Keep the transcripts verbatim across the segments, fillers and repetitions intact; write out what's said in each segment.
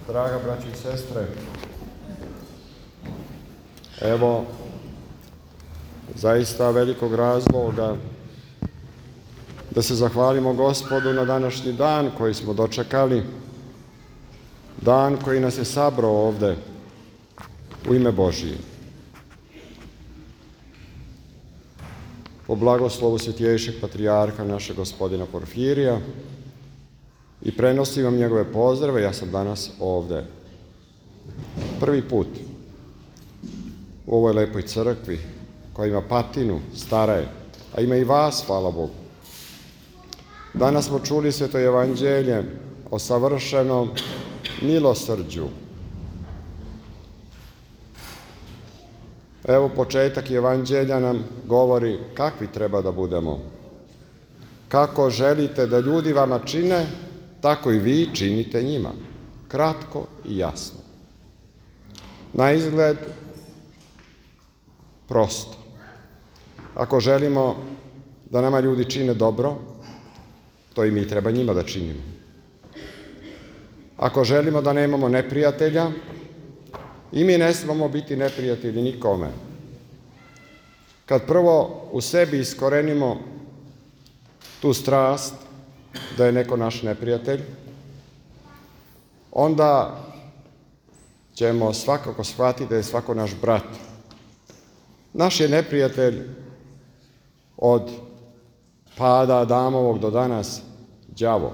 Draga braći i sestre, evo zaista velikog razloga da se zahvalimo Gospodu na današnji dan koji smo dočekali, dan koji nas je sabrao ovde u ime Božije. Po blagoslovu Svetijejšeg patrijarha našeg gospodina Porfirija i prenosim vam njegove pozdrave. Ja sam danas ovde prvi put u ovoj lepoj crkvi koja ima patinu, stara je, a ima i vas, hvala Bogu. Danas smo čuli Sveto evanđelje o savršenom milosrđu. Evo, početak evanđelja nam govori kakvi treba da budemo. Kako želite da ljudi vama čine, tako i vi činite njima. Kratko i jasno. Na izgled prosto. Ako želimo da nama ljudi čine dobro, to i mi treba njima da činimo. Ako želimo da nemamo neprijatelja, i mi ne smemo biti neprijatelji nikome. Kad prvo u sebi iskorenimo tu strast da je neko naš neprijatelj, onda ćemo svakako shvatiti da je svako naš brat. Naš je neprijatelj od pada Adamovog do danas đavo.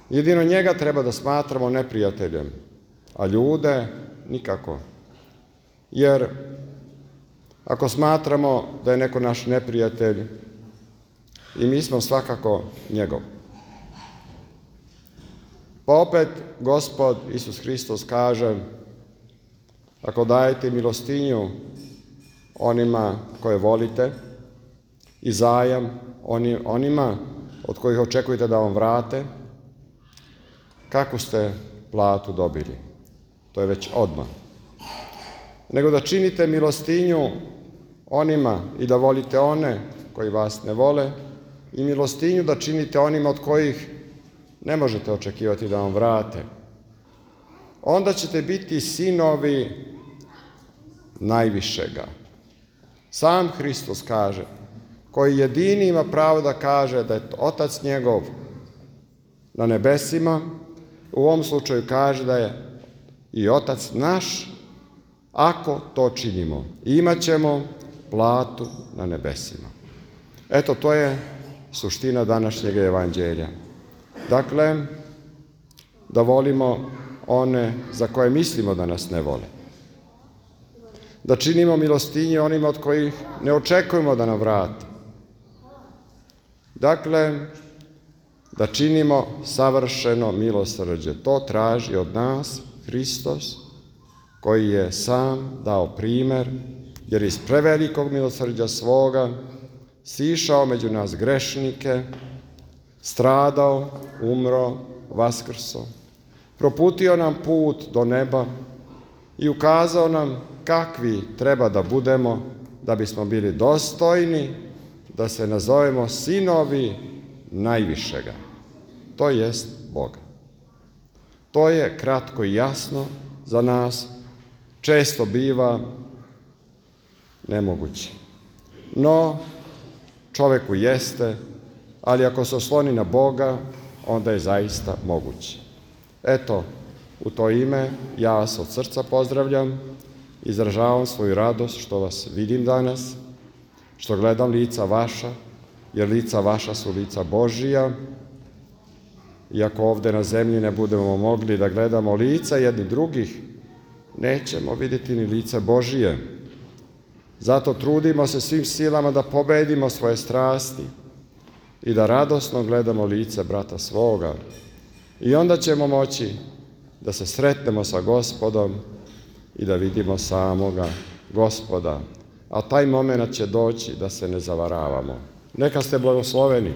Jedino njega treba da smatramo neprijateljem, a ljude nikako. Jer ako smatramo da je neko naš neprijatelj, i mi smo svakako njegov. Pa opet Gospod Isus Hristos kaže, ako dajete milostinju onima koje volite i zajam onima od kojih očekujete da vam vrate, kakvu ste platu dobili? To je već odmah. Nego da činite milostinju onima i da volite one koji vas ne vole i milostinju da činite onima od kojih ne možete očekivati da vam vrate. Onda ćete biti sinovi najvišega. Sam Hristos kaže, koji jedini ima pravo da kaže da je Otac njegov na nebesima, u ovom slučaju kaže da je i Otac naš, ako to činimo. Imaćemo platu na nebesima. Eto, to je suština današnjeg evanđelja. Dakle, da volimo one za koje mislimo da nas ne vole. Da činimo milostinje onima od kojih ne očekujemo da nam vrate. Dakle, da činimo savršeno milosrđe. To traži od nas Hristos, koji je sam dao primer, jer iz prevelikog milosrđa svoga sišao među nas grešnike, stradao, umro, vaskrso, proputio nam put do neba i ukazao nam kakvi treba da budemo da bismo bili dostojni da se nazovemo sinovi najvišega, to jest Boga. To je kratko i jasno za nas, često biva nemoguće. No, čoveku jeste, ali ako se osloni na Boga, onda je zaista moguće. Eto, u to ime ja vas od srca pozdravljam, izražavam svoju radost što vas vidim danas, što gledam lica vaša, jer lica vaša su lica Božija. Iako ovde na zemlji ne budemo mogli da gledamo lica jedni drugih, nećemo vidjeti ni lice Božije. Zato trudimo se svim silama da pobedimo svoje strasti i da radosno gledamo lice brata svoga. I onda ćemo moći da se sretnemo sa Gospodom i da vidimo samoga Gospoda. A taj moment će doći da se ne zavaravamo. Neka ste blagosloveni.